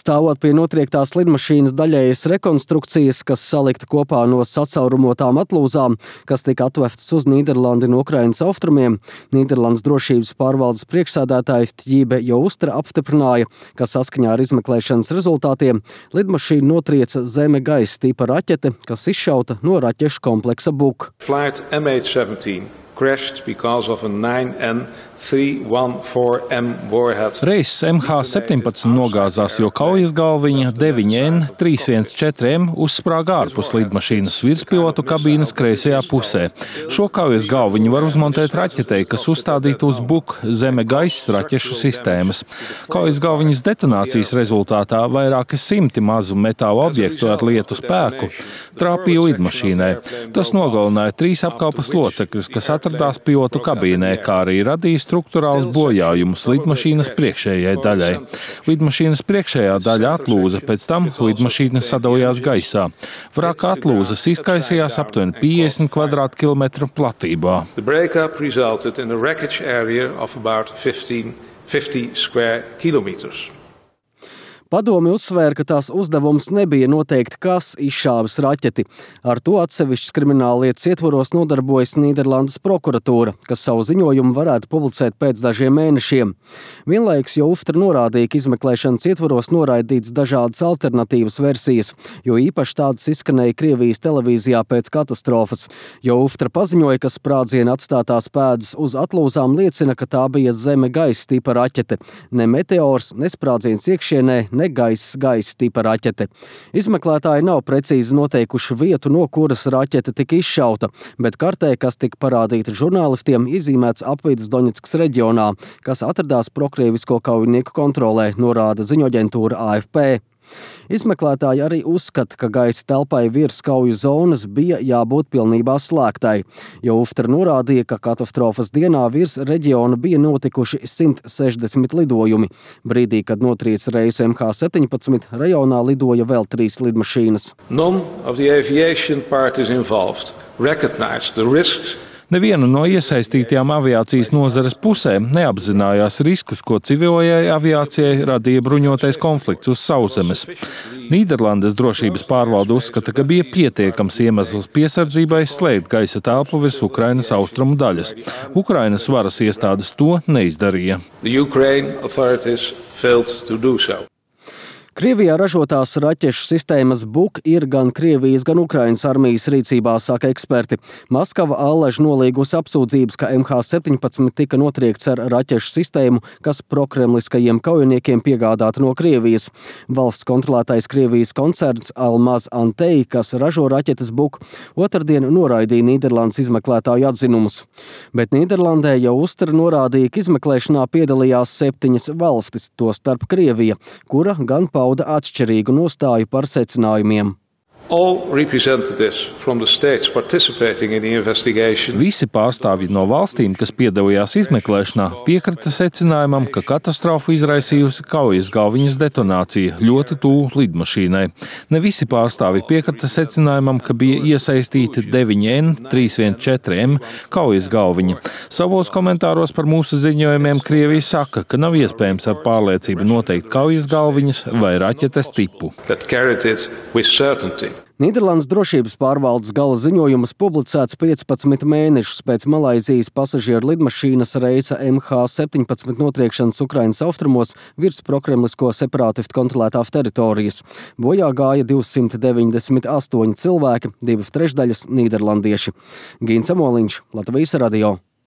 Stāvot pie notriektās lidmašīnas daļējas rekonstrukcijas, kas salikta kopā no sacaurumotām atlūzām, kas tika atvestas uz Nīderlandi no Ukrainas austrumiem, Nīderlandes drošības pārvaldes priekšsēdētājs Tjībe Joustra apstiprināja, ka saskaņā ar izmeklēšanas rezultātiem lidmašīna notrieca zeme-gaisa tipa raķete, kas izšauta no raķešu kompleksa Buk. Flight MH17 crashed because of a 9N314M warhead. Reiss MH17 nogāzās, jo kaujas galviņa 9N314M uzsprāga ārpus lidmašīnas virspilotu kabīnes kreisajā pusē. Šo kaujas galviņu var uzmontēt raķetei, kas uzstādīta uz Buk zeme-gaisa raķešu sistēmas. Kaujas galviņas detonācijas rezultātā vairāki simti mazu metāla objektu ar lietu spēku trāpīja lidmašīnai. Tas nogalināja 3 apkalpes locekļus, kas atradās pilotu kabīnē, kā arī radīja struktūrāls bojājumus lidmašīnas priekšējai daļai. Lidmašīnas priekšējā daļa atlūza, pēc tam lidmašīna sadalījās gaisā. Vraka atlūzas izkaisījās aptuveni 50 kvadrātkilometru platībā. The breakup resulted in a wreckage area of about 50 square kilometers. Padomi uzsvēra, ka tās uzdevums nebija noteikt, kas izšāvis raķeti. Ar to atsevišķas krimināllietas ietvaros nodarbojas Nīderlandes prokuratūra, kas savu ziņojumu varētu publicēt pēc dažiem mēnešiem. Vienlaikus Joustra norādīja, ka izmeklēšanas ietvaros noraidīts dažādas alternatīvas versijas, jo īpaši tādas izskanēja Krievijas televīzijā pēc katastrofas. Joustra paziņoja, ka sprādziena atstātās pēdas uz atlūzām liecina, ka tā bija zeme-gaisa tipa raķete. Ne meteors, ne sprādziens iekšienē, ne gaisa tipa raķete. Izmeklētāji nav precīzi noteikuši vietu, no kuras raķete tika izšauta, bet kartē, kas tika parādīta žurnālistiem, izīmēts apvidus Doņetskas reģionā, kas atradās prokrievisko kaujinieku kontrolē, norāda ziņoaģentūra AFP. Izmeklētāji arī uzskata, ka gaisa telpai virs kauju zonas bija jābūt pilnībā slēgtai. Joustra norādīja, ka katastrofas dienā virs reģiona bija notikuši 160 lidojumi. Brīdī, kad notrieca reisu MH17, rajonā lidoja vēl 3 lidmašīnas. None of the aviation parties involved recognized the risks. Neviena no iesaistītajām aviācijas nozares pusēm neapzinājās riskus, ko civilajai aviācijai radīja bruņotais konflikts uz sauszemes. Nīderlandes drošības pārvalde uzskata, ka bija pietiekams iemesls piesardzībai slēgt gaisa telpu virs Ukrainas austrumu daļas. Ukrainas varas iestādes to neizdarīja. The Ukraine authorities failed to do so. Krievijā ražotās raķešu sistēmas Buk ir gan Krievijas, gan Ukrainas armijas rīcībā, saka eksperti. Maskava allaž nolīgusi apsūdzības, ka MH17 tika notriekts ar raķešu sistēmu, kas prokremliskajiem kaujiniekiem piegādāta no Krievijas. Valsts kontrolētais Krievijas koncerns Almaz Antey, kas ražo raķetes Buk, otrdien noraidīja Nīderlandes izmeklētāju atzinumus. Bet Nīderlandē Joustra norādīja, ka izmeklēšanā piedalījās 7 valstis, tostarp Krievija, kura gan pauda atšķirīgu nostāju par secinājumiem. All representatives from the states participating in the investigation. Visi pārstāvji no valstīm, kas piedalījās izmeklēšanā, piekrita secinājumam, ka katastrofu izraisījusi kaujas galviņas detonācija ļoti tuvu lidmašīnai. Ne visi pārstāvji piekrita secinājumam, ka bija iesaistīti 9N314M kaujas galviņa. Savos komentāros par mūsu ziņojumiem Krievija saka, ka nav iespējams ar pārliecību noteikt kaujas galviņas vai raķetes tipu. Nīderlandes drošības pārvaldes gala ziņojums publicēts 15 mēnešus pēc Malaizijas pasažieru lidmašīnas reisa MH17 notriekšanas Ukrainas austrumos virs prokremlisko separātistu kontrolētās teritorijas. Bojā gāja 298 cilvēki, 2/3 nīderlandieši. Gīns Amoliņš, Latvijas radio.